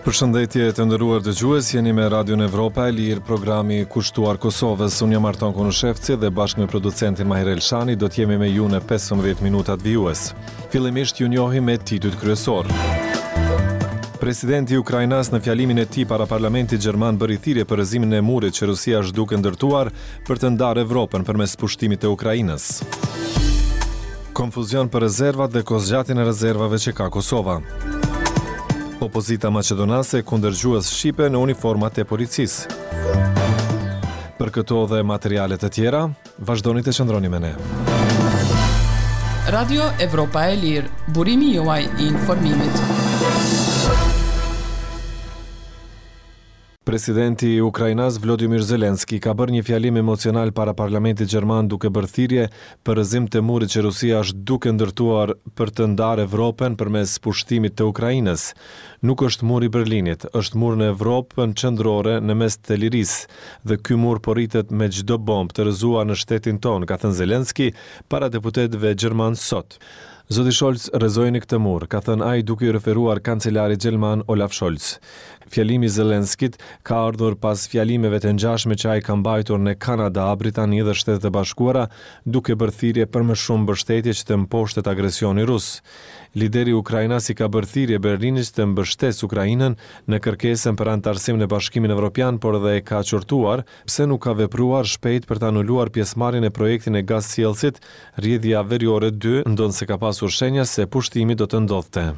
Përshëndetje të nderuar dëgjues, jeni me Radion Evropa e Lirë, programi kushtuar Kosovës. Unë jam Arton Konushevci dhe bashkë me producentin Mahir Elshani do të jemi me ju në 15 minutat vijues. Fillimisht ju njohim me titujt kryesorë. Presidenti ukrainas në fjalimin e tij para parlamentit gjerman bëri thirrje për rrëzimin e murit që Rusia është duke ndërtuar për të ndarë Evropën përmes pushtimit të Ukrainës. Konfuzion për rezervat dhe kohëzgjatjen e rezervave që ka Kosova. Opozita maqedonase kundër gjuhës shqipe në uniformat e policisë. Për këto dhe materiale të tjera, vazhdoni të qëndroni me ne. Radio Evropa e Lirë, burimi juaj i informimit. Presidenti ukrainas Vlodymyr Zelensky ka bërë një fjalim emocional para parlamentit gjerman duke bërë thirrje për rrëzim të murit që Rusia është duke ndërtuar për të ndarë Evropën përmes pushtimit të Ukrainës. Nuk është muri i Berlinit, është mur në Evropën qendrore në mes të lirisë dhe ky mur po rritet me çdo bombë të rrëzuar në shtetin tonë, ka thënë Zelensky para deputetëve gjermanë sot. Zoti Scholz, rrëzojeni këtë mur, ka thënë ai duke iu referuar kancelarit gjerman Olaf Scholz. Fjalimi i Zelenskit ka ardhur pas fjalimeve të ngjashme që ai ka mbajtur në Kanada, Britani dhe Shtetet e Bashkuara, duke bërë thirrje për më shumë mbështetje që të mposhtet agresioni rus. Lideri ukrainas i ka bërë thirrje Berlinit që të mbështesë Ukrainën në kërkesën për anëtarësim në Bashkimin Evropian, por edhe e ka qortuar pse nuk ka vepruar shpejt për të anuluar pjesëmarrjen në projektin e gazsjellësit Rrjedhja Veriore dy, ndonëse ka pasur shenja se pushtimi do të ndodhte.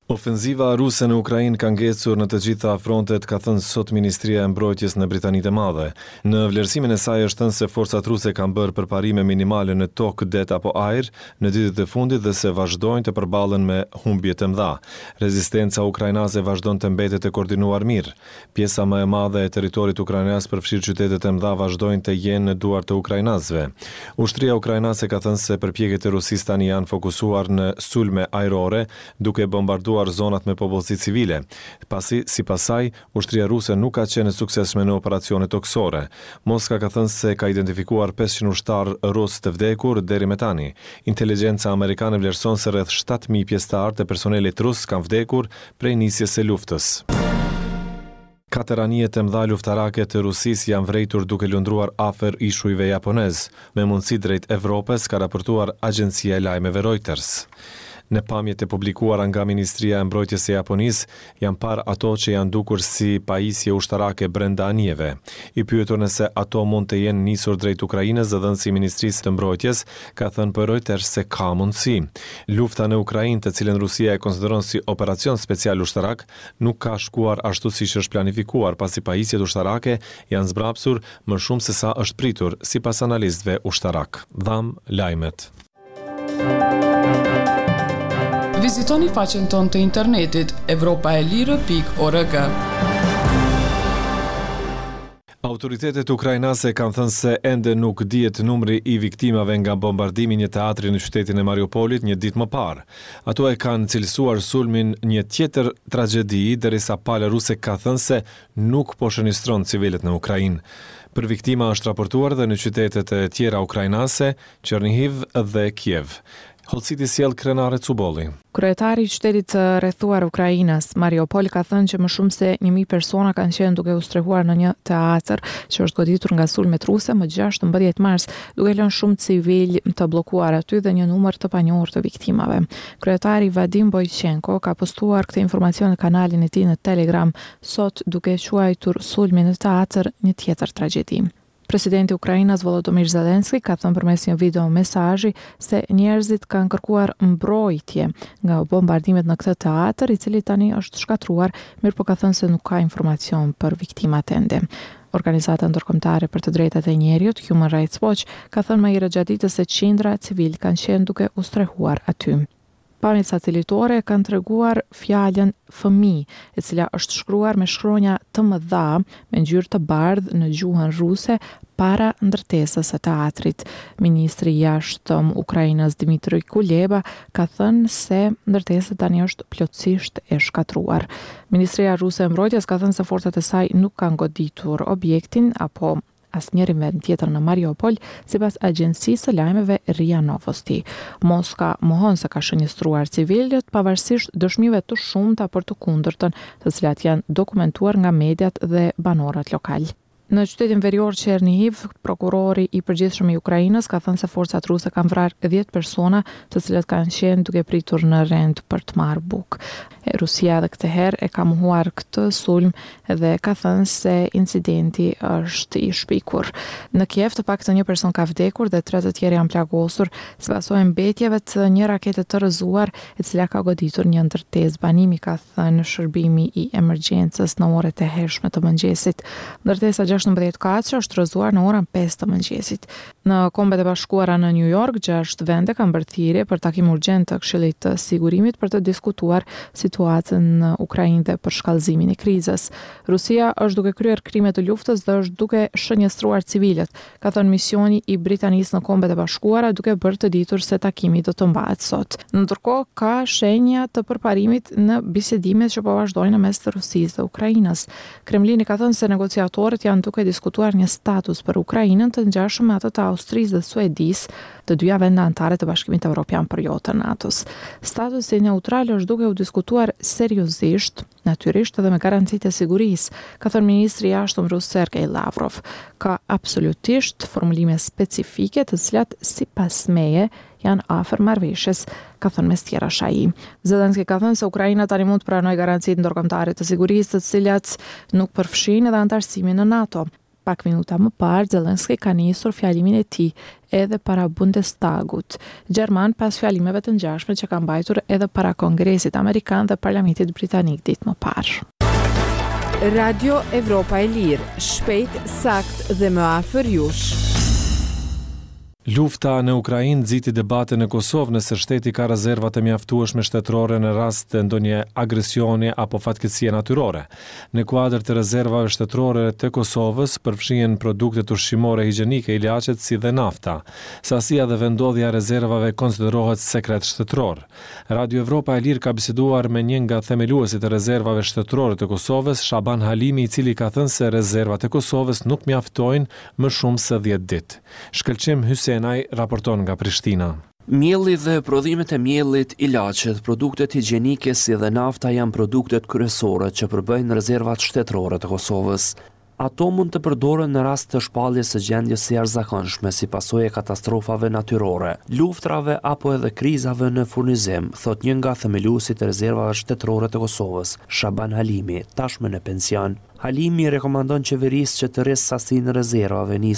Ofenziva ruse në Ukrainë ka ngecur në të gjitha frontet, ka thënë sot Ministria e Mbrojtjes në Britani të Madhe. Në vlerësimin e saj është thënë se forcat ruse kanë bërë përparime minimale në tokë, det apo ajër në ditët e fundit dhe se vazhdojnë të përballen me humbje të mëdha. Rezistenca ukrainase vazhdon të mbetet e koordinuar mirë. Pjesa më e madhe e territorit ukrainas përfshirë qytetet e mëdha vazhdojnë të jenë në duar të ukrainasve. Ushtria ukrainase ka thënë se përpjekjet e Rusisë tani janë fokusuar në sulme ajrore, duke bombarduar zonat me popullsi civile, pasi, sipas saj, ushtria ruse nuk ka qenë e suksesshme në operacione tokësore. Moska ka thënë se ka identifikuar 500 ushtarë rusë të vdekur deri më tani. Inteligjenca amerikane vlerëson se rreth 7000 pjesëtarë të personelit rus kanë vdekur prej nisjes së luftës. Katër anije të mëdha luftarake të Rusisë janë vërejtur duke lundruar afër ishujve japonezë, me mundësi drejt Evropës, ka raportuar agjencia e lajmeve Reuters. Në pamjet e publikuara nga Ministria e Mbrojtjes së Japonisë, janë parë ato që janë dukur si pajisje ushtarake brenda anijeve. I pyetur nëse ato mund të jenë nisur drejt Ukrainës, zëdhënësi i Ministrisë të Mbrojtjes ka thënë për Reuters se ka mundësi. Lufta në Ukrainë, të cilën Rusia e konsideron si operacion special ushtarak, nuk ka shkuar ashtu siç është planifikuar, pasi pajisjet ushtarake janë zbrapsur më shumë se sa është pritur, sipas analistëve ushtarakë. Dhamë lajmet. Vizitoni faqen tonë të internetit evropaelire.org. Autoritetet ukrainase kanë thënë se ende nuk dihet numri i viktimave nga bombardimi i një teatri në qytetin e Mariupolit një ditë më parë. Ato e kanë cilësuar sulmin një tjetër tragjedi, derisa pala ruse ka thënë se nuk po shënjestron civilët në Ukrainë. Për viktima është raportuar edhe në qytetet e tjera ukrainase, Çernihiv dhe Kiev. Hollësitë i sjell Krenare Cubolli. Kryetari i qytetit të rrethuar ukrainas, Mariupol ka thënë që më shumë se 1000 persona kanë qenë duke u strehuar në një teatër që është goditur nga sulmet ruse më 16 mars, duke lënë shumë civilë të bllokuar aty dhe një numër të panjohur të viktimave. Kryetari Vadim Boychenko ka postuar këtë informacion në kanalin e tij në Telegram sot duke e quajtur sulmin në teatër një tjetër tragjedi. Presidenti ukrainas Volodymyr Zelensky ka thënë përmes një video mesazhi se njerëzit kanë kërkuar mbrojtje nga bombardimet në këtë teatër, i cili tani është shkatërruar, mirëpo ka thënë se nuk ka informacion për viktimat ende. Organizata ndërkombëtare për të drejtat e njeriut, Human Rights Watch, ka thënë më herët gjatë ditës se qindra civilë kanë qenë duke u strehuar aty. Pamjet satelitore kanë treguar fjalën fëmijë, e cila është shkruar me shkronja të mëdha me ngjyrë të bardhë në gjuhën ruse para ndërtesës së teatrit. Ministri i Jashtëm ukrainas Dmitry Kuleba ka thënë se ndërtesa tani është plotësisht e shkatërruar. Ministria ruse e Mbrojtjes ka thënë se forcat e saj nuk kanë goditur objektin apo. asnjërin vend tjetër në Mariupol, sipas agjencisë së lajmeve RIA Novosti. Moska mohon se ka shënjestruar civilët, pavarësisht dëshmive të shumta për të kundërtën, të cilat janë dokumentuar nga mediat dhe banorët lokalë. Në qytetin verior Çernihiv, prokurori i përgjithshëm i Ukrainës ka thënë se forcat ruse kanë vrarë dhjetë persona, të cilët kanë qenë duke pritur në rend për të marrë bukë. Rusia edhe këtë herë e ka mohuar këtë sulm dhe ka thënë se incidenti është i shpikur. Në Kiev të paktën një person ka vdekur dhe tre të tjerë janë plagosur si pasojë e mbetjeve të një rakete të rrëzuar e cila ka goditur një ndërtesë banimi, ka thënë shërbimi i emergjencës në orët e hershme të mëngjesit. Ndërtesa 16 katëshe është rrëzuar në orën 5 të mëngjesit. Në Kombet e Bashkuara në Nju Jork, gjashtë vende kanë bërë thirrje për takim urgjent të Këshillit të Sigurimit për të diskutuar situatën në Ukrainë dhe përshkallëzimin e krizës. Rusia është duke kryer krime të luftës dhe është duke shënjestruar civilët, ka thënë misioni i Britanisë në Kombet e Bashkuara duke bërë të ditur se takimi do të mbahet sot. Ndërkohë, ka shenja të përparimit në bisedimet që po vazhdojnë në mes të Rusisë dhe Ukrainës. Kremlini ka thënë se negociatorët janë duke diskutuar një status për Ukrainën të ngjashëm me atë të Austrisë dhe Suedisë, të dyja vende anëtare të Bashkimit Evropian por jo të NATO-s. Statusi neutral është duke u diskutuar seriozisht, natyrisht edhe me garancitë e sigurisë, ka thënë ministri i Jashtëm rus Sergei Lavrov. Ka absolutisht formulime specifike të cilat sipas meje janë afër marrëveshjes, ka thënë mes tjerash ai. Zelensky ka thënë se Ukraina tani mund të pranojë garancitë ndërkombëtare të sigurisë, të cilat nuk përfshijnë edhe anëtarësimin në NATO. Pak minuta më parë, Zelensky ka nisur fjalimin e tij edhe para Bundestagut gjerman pas fjalimeve të ngjashme që ka mbajtur edhe para Kongresit Amerikan dhe Parlamentit Britanik ditë më parë. Radio Evropa e Lirë, shpejt, saktë dhe më afër jush. Lufta në Ukrainë nxiti debate në Kosovë nëse shteti ka rezerva të mjaftueshme shtetërore në rast të ndonjë agresioni apo fatkeqësie natyrore. Në kuadër të rezervave shtetërore të Kosovës përfshihen produktet ushqimore higjienike, ilaçet si dhe nafta. Sasia dhe vendndodhja e rezervave konsiderohet sekret shtetëror. Radio Evropa e Lirë ka biseduar me një nga themeluesit e rezervave shtetërore të Kosovës, Shaban Halimi i cili ka thënë se rezervat e Kosovës nuk mjaftojnë më shumë se dhjetë ditë. Shkëlqim Hysenaj raporton nga Prishtina. Mielli dhe prodhimet e miellit, ilaçet, produktet higjienike si dhe nafta janë produktet kryesore që përbëjnë rezervat shtetërore të Kosovës. Ato mund të përdoren në rast të shpalljes së gjendjes së jashtëzakonshme si pasojë e katastrofave natyrore, luftërave apo edhe krizave në furnizim, thotë një nga themeluesit e rezervave shtetërore të Kosovës, Shaban Halimi, tashmë në pension. Halimi i rekomandon qeverisë që të rrisë sasinë e rezervave.